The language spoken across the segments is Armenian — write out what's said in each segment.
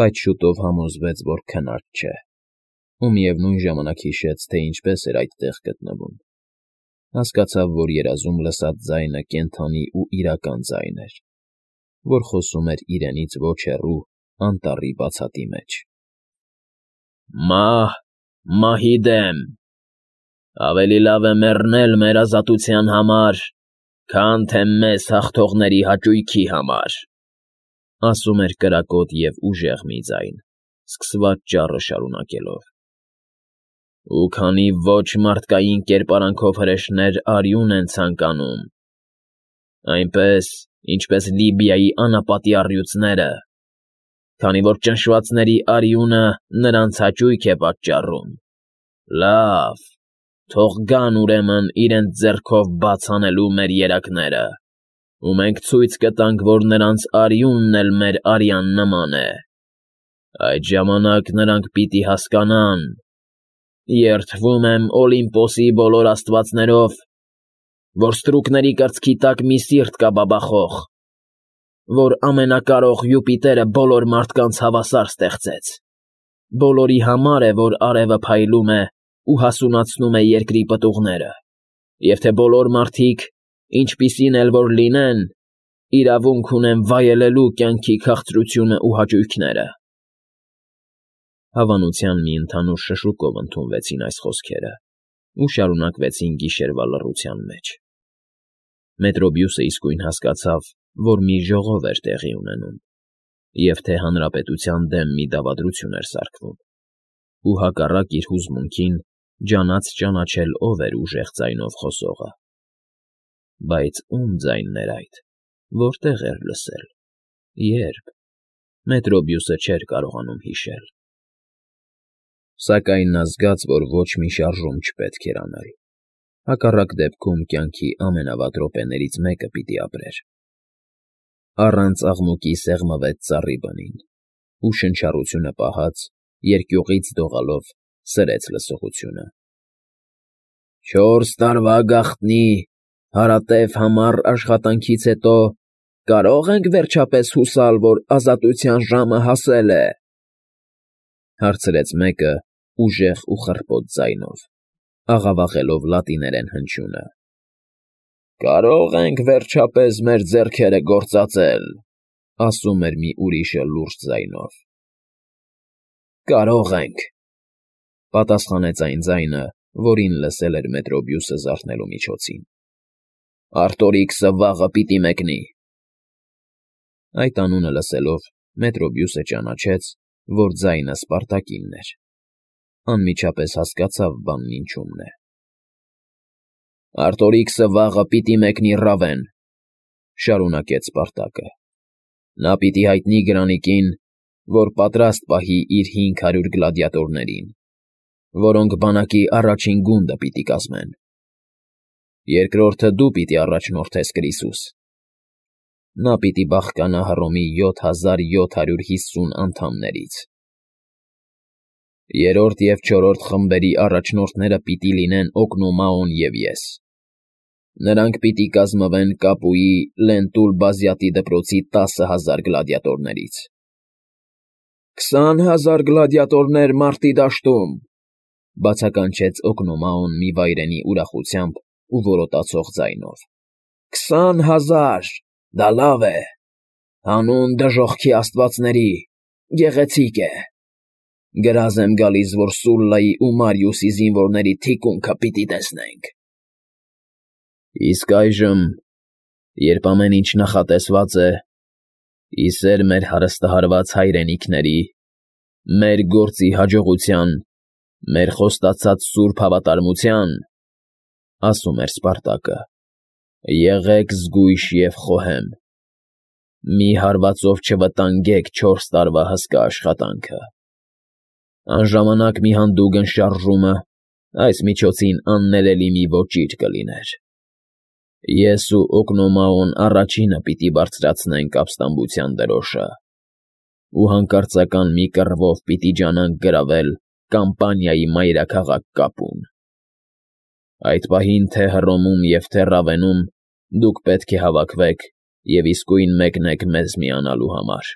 բայց շուտով համոզվեց, որ քնած չէ, ու միևնույն ժամանակ հիշեց, թե ինչպես էր այդտեղ գտնվում. հասկացավ, որ երազում լսած ձայնը կենդանի ու իրական ձայն էր, որ խոսում էր իրենից ոչ հեռու անտառի բացատի մեջ. «Մահ, մահի դեմ, ավելի լավ է մեռնել մեր ազատության համար, քան թե մեզ հաղթողների հաճույքի համար», ասում էր կրակոտ և ուժեղ մի ձայն, սկսված ճառը շարունակելով. «Ու քանի ոչ մարդկային կերպարանքով հրեշներ արյուն են ցանկանում, այնպես, ինչպես Լիբիայի անապատի առյուծները, քանի որ ճնշվածների արյունը նրանց հաճույք է պատճառում, լավ, թող գան ուրեմն իրենց ձեռքով բաց անելու մեր երակները, ու մենք ցույց կտանք, որ նրանց արյունն էլ մեր արյան նման է, այդ ժամանակ նրանք պիտի հասկանան, երդվում եմ Օլիմպոսի բոլոր աստվածներով, որ ստրուկների կրծքի տակ մի սիրտ կա բաբախող, որ ամենակարող Յուպիտերը բոլոր մարդկանց հավասար ստեղծեց, բոլորի համար է, որ արևը փայլում է ու հասունացնում է երկրի պտուղները, և թե բոլոր մարդիկ, ինչպիսին էլ որ լինեն, իրավունք ունեն վայելելու կյանքի քաղցրությունն ու հաճույքները»։ Հավանության մի ընդհանուր շշուկով ընդունվեցին այս խոսքերը ու շարունակվեցին գիշերվա լռության մեջ։ Մետրոբյուսը իսկույն հասկացավ, որ մի ժողով էր տեղի ունենում, և թե հանրապետության դեմ մի դավադրություն էր սարքվում, ու հակառակ իր հուզմունքին ջանաց ճանաչել, ով էր ուժեղ ձայնով խոսողը։ Բայց ո՞ւմ ձայնն էր այդ, որտեղ էր լսել, երբ, Մետրոբյուսը չէր կարողանում հիշել։ Սակայն նա զգաց, որ ոչ մի շարժում չպետք էր անել, հակառակ դեպքում կյանքի ամենավատ րոպեներից մեկը պիտի ապրեր։ Առանց աղմուկի սեղմվեց ծառի բնին, ու շնչառությունը պահած, երկյուղից դողալով սրեց լսողությունը. «4 տարվա գաղտնի, հարատև համառ աշխատանքից հետո կարո՞ղ ենք վերջապես հուսալ, որ ազատության ժամը հասել է», հարցրեց մեկը ուժեղ ու խռպոտ ձայնով, աղավաղելով լատիներեն հնչյունը։ «Կարո՞ղ ենք վերջապես մեր ձեռքերը գործածել», ասում էր մի ուրիշը լուրջ ձայնով։ «Կարող ենք», պատասխանեց այն ձայնը, որին լսել էր Մետրոբյուսը զարթնելու միջոցին։ «Արտորիքսը վաղը պիտի մեկնի»։ Այդ անունը լսելով Մետրոբյուսը ճանաչեց, որ ձայնը Սպարտակինն էր։ Անմիջապես հասկացավ բանն ինչումն է։ «Արտորիքսը վաղը պիտի մեկնի Ռավեն», շարունակեց Սպարտակը։ «Նա պիտի հայտնի Գրանիկին, որ պատրաստ պահի իր 500 գլադիատորներին, որոնք բանակի առաջին գունդը պիտի կազմեն։ Երկրորդը դու պիտի առաջնորդես, Կրիսուս։ Նա պիտի բաղկանա Հռոմի 7750 անդամներից։ Երրորդ և չորրորդ խմբերի առաջնորդները պիտի լինեն Օկնոմաոն և ես։ Նրանք պիտի կազմվեն Կապուի Լենտուլ Բազյատի դպրոցի 10,000 գլադիատորներից։ 20,000 գլադիատորներ մարտի դաշտում, բացականչեց Օկնոմաոն մի վայրենի ուրախությամբ ու որոտացող ձայնով։ 20,000, դա լավ է, հանուն դժոխքի աստվածների, գեղեցիկ է։ Գրազ եմ գալիս, որ Սուլլայի ու Մարիուսի զինվորների թիկունքը պիտի տեսնենք։ Իսկ այժմ, երբ ամեն ինչ նախատեսված է, ի սեր մեր հարստահարված հայրենիքների, մեր գործի հաջողության, մեր խոստացած սուրբ հավատարմության, ասում էր Սպարտակը, եղեք զգույշ և խոհեմ, մի հարվածով չվտանգեք 4 տարվա հսկա աշխատանքը։ Անժամանակ մի հանդուգն շարժումը այս միջոցին աններելի մի ոճիր կլիներ։ Ես ու Օկնոմաոն առաջինը պիտի բարձրացնենք ապստամբության դրոշը ու հանկարծական մի կռվով պիտի ջանանք գրավել Կամպանիայի մայրաքաղաք Կապուն։ Այդ պահին թե Հռոմում և թե Ռավենում դուք պետք է հավաքվեք և իսկույն մեկնեք մեզ միանալու համար։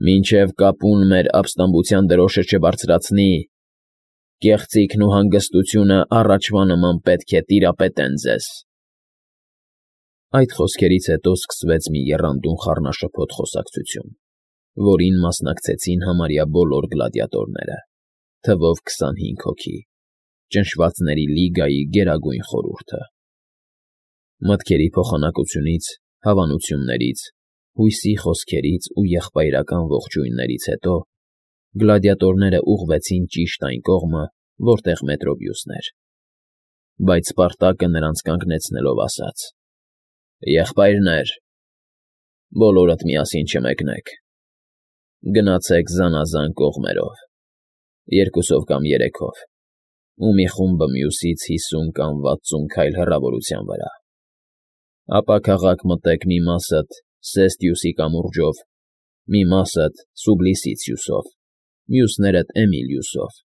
Մինչև կապուն մեր ապստամբության դրոշը չբարձրացնի, կեղծիքն ու հանգստությունը առաջվա նման պետք է տիրապետեն ձեզ։ Այդ խոսքերից հետո սկսվեց մի եռանդուն խառնաշփոթ խոսակցություն, որին մասնակցեցին համարյա բոլոր գլադիատորները, թվով 25 հոգի, ճնշվածների լիգայի գերագույն խորհուրդը։ Մտքերի փոխանակությունից, հավանություններից, հույսի խոսքերից ու եղբայրական ողջույններից հետո գլադիատորները ուղղվեցին ճիշտ այն կողմը, որտեղ Մետրոբիուսն էր, բայց Սպարտակը նրանց կանգնեցնելով ասաց. «Եղբայրներ, բոլորդ միասին չմեկնեք, գնացեք զանազան կողմերով, 2 կամ 3-ով, ու մի խումբը մյուսից 50 կամ 60 քայլ հեռավորության վրա, ապա քաղաք մտեք մի մասդ Սեստիուսի կամուրջով, մի մասդ Սուբլիսիցիուսով, մյուսներդ Էմիլիուսով»։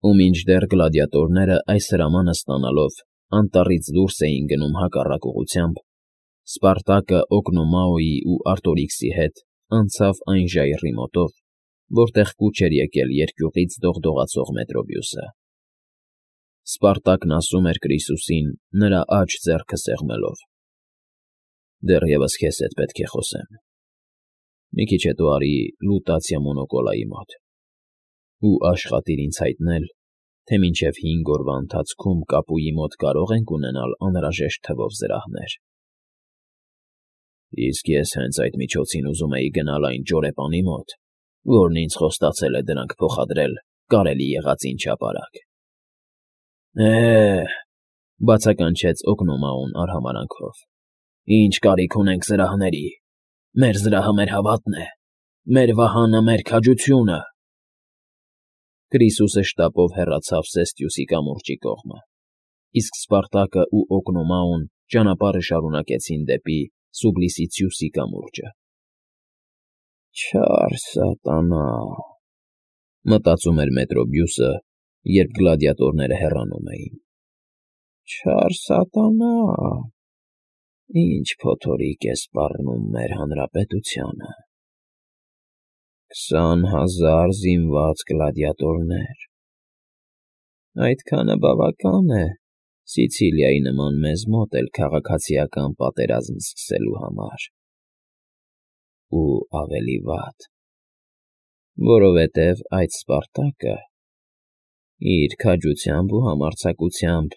Ու մինչդեռ գլադիատորները այս հրամանը ստանալով անտառից դուրս էին գնում հակառակ ուղղությամբ, Սպարտակը Օգնոմաոյի ու Արտորիքսի հետ անցավ այն ժայռի մոտով, որտեղ կուչ էր եկել երկյուղից դողդողացող Մետրոբիուսը։ Սպարտակն ասում էր Կրիսուսին, նրա աջ ձեռքը սեղմելով. «Դեռևս քեզ հետ պետք է խոսեմ։ Մի քիչ հետո արի Լուտացիա Մոնոկոլայի մոտ ու աշխատիր ինձ հայտնել, թե մինչև 5 օրվա ընթացքում կապուի մոտ կարող ենք ունենալ անհրաժեշտ թվով զրահներ»։ «Իսկ ես հենց այդ միջոցին ուզում էի գնալ այն ճորեպանի մոտ, որն ինձ խոստացել է դրանք փոխադրել կարելի եղածին չափարակ»։ «Է՜, ֊ բացականչեց Օգնոմաոն արհամարհանքով, ֊ ինչ կարիք ունենք զրահների, մեր զրահը մեր հավատն է, մեր վահանը մեր քաջությունը»։ Կրիսուսը շտապով հեռացավ Սեստիուսի կամուրջի կողմը, իսկ Սպարտակը ու Օգնոմաոն ճանապարհը շարունակեցին դեպի Սուբլիսիցիուսի կամուրջը։ «Չար սատանա», ֊ մտածում էր Մետրոբիուսը, երբ գլադիատորները հեռանում էին։ «Չար սատանա, ինչ փոթորիկ է սպառնում մեր հանրապետությանը։ 20,000 զինված գլադիատորներ… Այդքանը բավական է Սիցիլիայի նման մեզ մոտ էլ քաղաքացիական պատերազմ սկսելու համար։ Ու ավելի վատ, որովհետև այդ Սպարտակը իր քաջությամբ ու համարձակությամբ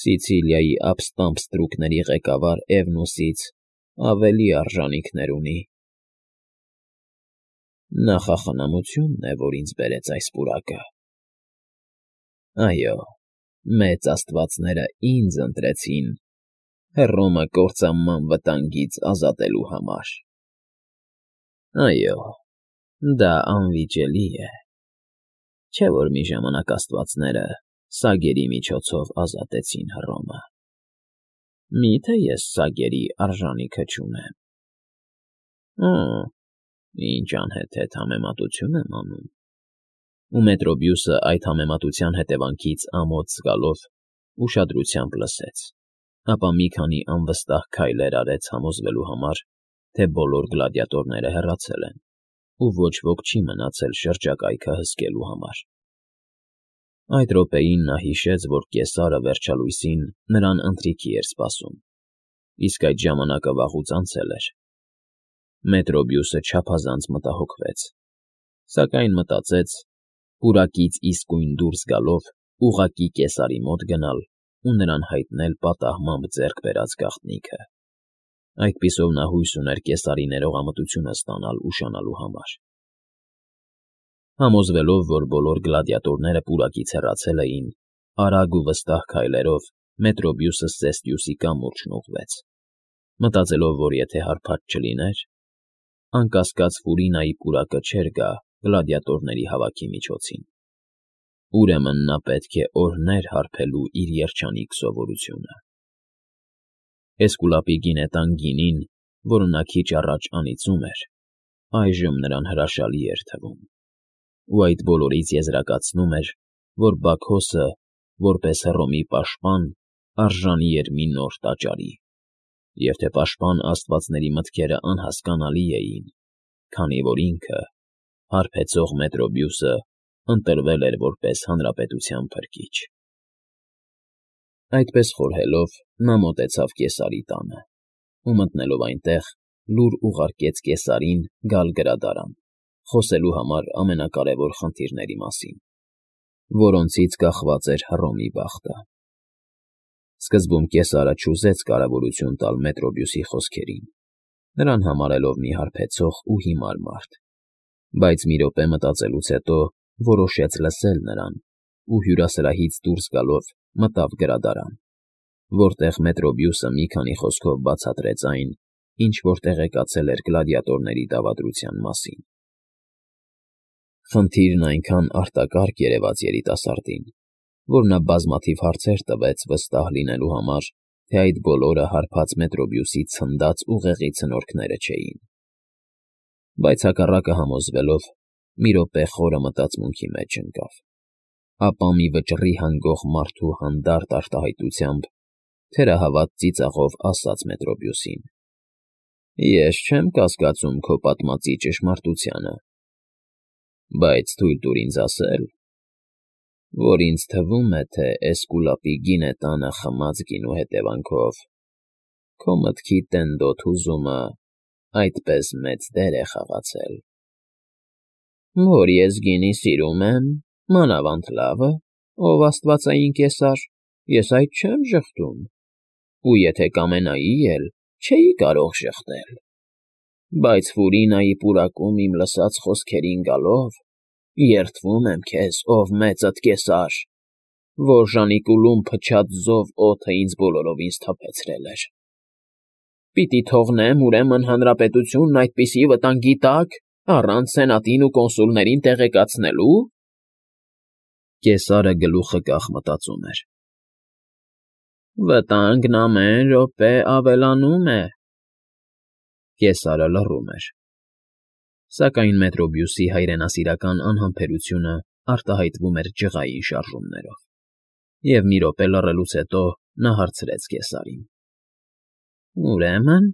Սիցիլիայի ապստամբ ստրուկների ղեկավար Էվնոսից ավելի արժանինքներ ունի։ Նախախնամությունն է, որ ինձ բերեց այս պուրակը։ Այո, մեծ աստվածները ինձ ընտրեցին Հռոմը կործանման վտանգից ազատելու համար։ Այո, դա անվիճելի է, չէ՞ որ մի ժամանակ աստվածները սագերի միջոցով ազատեցին Հռոմը։ Մի՞թե ես սագերի արժանիքը չունեմ։ Ինչ անհեթեթ համեմատություն եմ անում։ Ու Մետրոբիուսը այդ համեմատության հետևանքից ամոթ զգալով ուշադրությամբ լսեց, ապա մի քանի անվստահ քայլեր արեց համոզվելու համար, թե բոլոր գլադիատորները հեռացել են, ու ոչ ոք չի մնացել շրջակայքը հսկելու համար։ Այդ րոպեին նա հիշեց, որ կեսարը վերջալույսին նրան ընթրիքի էր սպասում, իսկ այդ ժամանակը վաղուց անցել էր։ Մետրոբիուսը չափազանց մտահոգվեց, սակայն մտածեց պուրակից իսկույն դուրս գալով ուղղակի կեսարի մոտ գնալ ու նրան հայտնել պատահմամբ ձեռք բերած գաղտնիքը։ Այդպիսով նա հույս ուներ կեսարի ներողամտությունը ստանալ ուշանալու համար։ Համոզվելով, որ բոլոր գլադիատորները պուրակից հեռացել էին, արագ ու վստահ քայլերով Մետրոբիուսը Սեստիուսի կամուրջն ուղղվեց, մտածելով, որ եթե հարբած չլիներ, անկասկած Ֆուրինայի պուրակը չէր գա գլադիատորների հավաքի միջոցին։ Ուրեմն նա պետք է օրհներ հարբելու իր երջանիկ սովորությունը։ Էսկուլապի գինետան գինին, որը նա քիչ առաջ անիծում էր, այժմ նրան հրաշալի էր թվում, ու այդ բոլորից եզրակացնում էր, որ Բաքոսը, որպես Հռոմի պաշտպան, արժանի էր մի նոր տաճարի, և թե պաշտպան աստվածների մտքերը անհասկանալի էին, քանի որ ինքը, հարբեցող Մետրոբյուսը, ընտրվել էր որպես հանրապետության փրկիչ։ Այդպես խորհելով նա մոտեցավ Կեսարի տանը ու մտնելով այնտեղ լուր ուղարկեց Կեսարին գալ գրադարան, խոսելու համար ամենակարևոր խնդիրների մասին, որոնցից կախված էր Հռոմի բախտը։ Սկզբում Կեսարը չուզեց կարևորություն տալ Մետրոբյուսի խոսքերին, նրան համարելով մի հարբեցող ու հիմար մարդ, բայց մի րոպե մտածելուց հետո որոշեց լսել նրան ու հյուրասրահից դուրս գալով մտավ գրադարան, որտեղ Մետրոբյուսը մի քանի խոսքով բացատրեց այն, ինչ որ տեղեկացել էր գլադիատորների դավադրության մասին։ Խնդիրն այնքան արտակարգ երևաց երիտասարդին, որ նա բազմաթիվ հարցեր տվեց վստահ լինելու համար, թե այդ բոլորը հարբած Մետրոբյուսի ցնդած ուղեղի ցնորքները չէին։ Բայց հակառակը համոզվելով, մի րոպե խորը մտածմունքի մեջ ընկավ, ապա մի վճռի հանգող մարդու հանդարտ արտահայտությամբ թերահավատ ծիծաղով ասաց Մետրոբյուսին. «Ես չեմ կասկածում քո պատմածի ճշմարտությանը, բայց թույլ տուր ինձ ասել, որ ինձ թվում է, թե Էսկուլապի գինետանը խմած գինու հետևանքով քո մտքի տենդոտ հուզումը այդպես մեծ դեր է խաղացել։ Որ ես գինի սիրում եմ, մանավանդ լավը, ով աստվածային Կեսար, ես այդ չեմ ժխտում, ու եթե կամենայի էլ, չէի կարող ժխտել, բայց Ֆուրինայի պուրակում իմ լսած խոսքերին գալով, երդվում եմ քեզ, ով մեծդ Կեսար, որ Ժանիկուլում փչած զով օդը ինձ բոլորովին սթափեցրել էր։ Պիտի թողնեմ, ուրեմն, հանրապետությունն այդպիսի վտանգի տակ, առանց սենատին ու կոնսուլներին տեղեկացնելու։ Կեսարը գլուխը կախ մտածում էր։ Վտանգն ամեն րոպե ավելանում է։ Կեսարը լռում էր։ Սակայն Մետրոբյուսի հայրենասիրական անհամբերությունը արտահայտվում էր ջղային շարժումներով, և մի րոպե լռելուց հետո նա հարցրեց Կեսարին. Ուրեմն…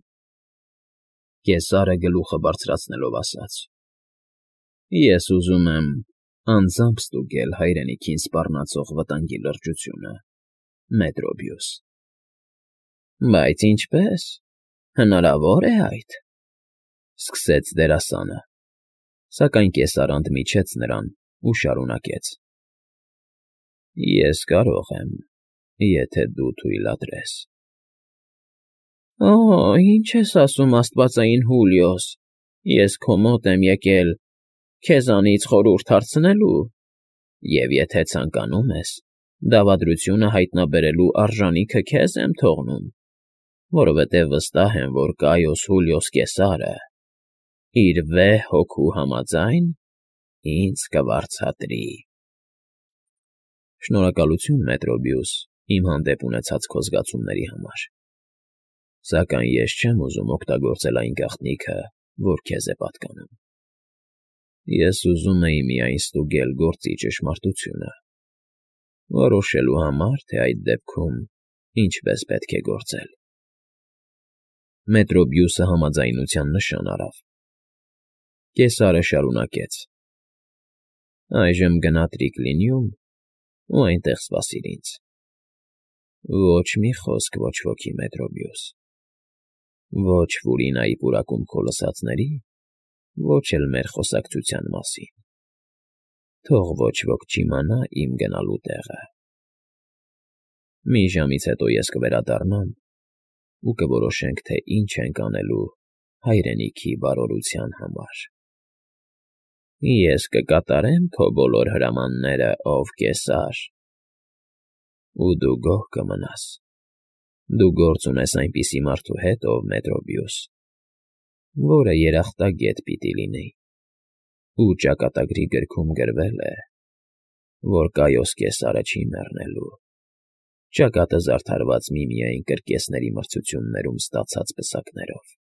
Կեսարը գլուխը բարձրացնելով ասաց. Ես ուզում եմ անձամբ ստուգել հայրենիքին սպառնացող վտանգի լրջությունը, Մետրոբյուս։ Բայց ինչպե՞ս, հնարավոր է այդ, սկսեց դերասանը, սակայն Կեսարը ընդմիջեց նրան ու շարունակեց. Ես կարող եմ, եթե դու թույլատրես։ Օ, ինչ ես ասում, աստվածային Հուլիոս, ես քո մոտ եմ եկել քեզանից խորհուրդ հարցնելու, և եթե ցանկանում ես, դավադրությունը հայտնաբերելու արժանիքը քեզ եմ թողնում, որովհետև վստահ եմ, որ Կայոս Հուլիոս Կեսարը իր 6 հոգու համաձայն ինձ կվարձատրի։ Շնորհակալություն, Մետրոբյուս, իմ հանդեպ ունեցած քո զգացումների համար, սակայն ես չեմ ուզում օգտագործել այն գաղտնիքը, որ քեզ է պատկանում։ Ես ուզում էի միայն ստուգել գործի ճշմարտությունը, որոշելու համար, թե այդ դեպքում ինչպես պետք է գործել։ Մետրոբյուսը համաձայնության նշան արավ։ Կեսարը շարունակեց. Այժմ գնա Տրիկլինիում ու այնտեղ սպասիր ինձ։ Ոչ մի խոսք ոչ ոքի, Մետրոբյուս, ոչ Ֆուրինայի պուրակում քո լսածների, ոչ էլ մեր խոսակցության մասին։ Թող ոչ ոք չիմանա իմ գնալու տեղը։ Մի ժամից հետո ես կվերադառնամ ու կորոշենք, թե ինչ ենք անելու հայրենիքի բարօրության համար։ Ես կկատարեմ քո բոլոր հրամանները, ով Կեսար, ու դու գոհ կմնաս։ Դու գործ ունես այնպիսի մարդու հետ, ով Մետրոբյուս, որը երախտագետ պիտի լինի, ու ճակատագրի գրքում գրվել է, որ Կայոս Կեսարը չի մեռնելու, ճակատը զարդարված միմիայն կրկեսների մրցություններում ստացած պսակներով։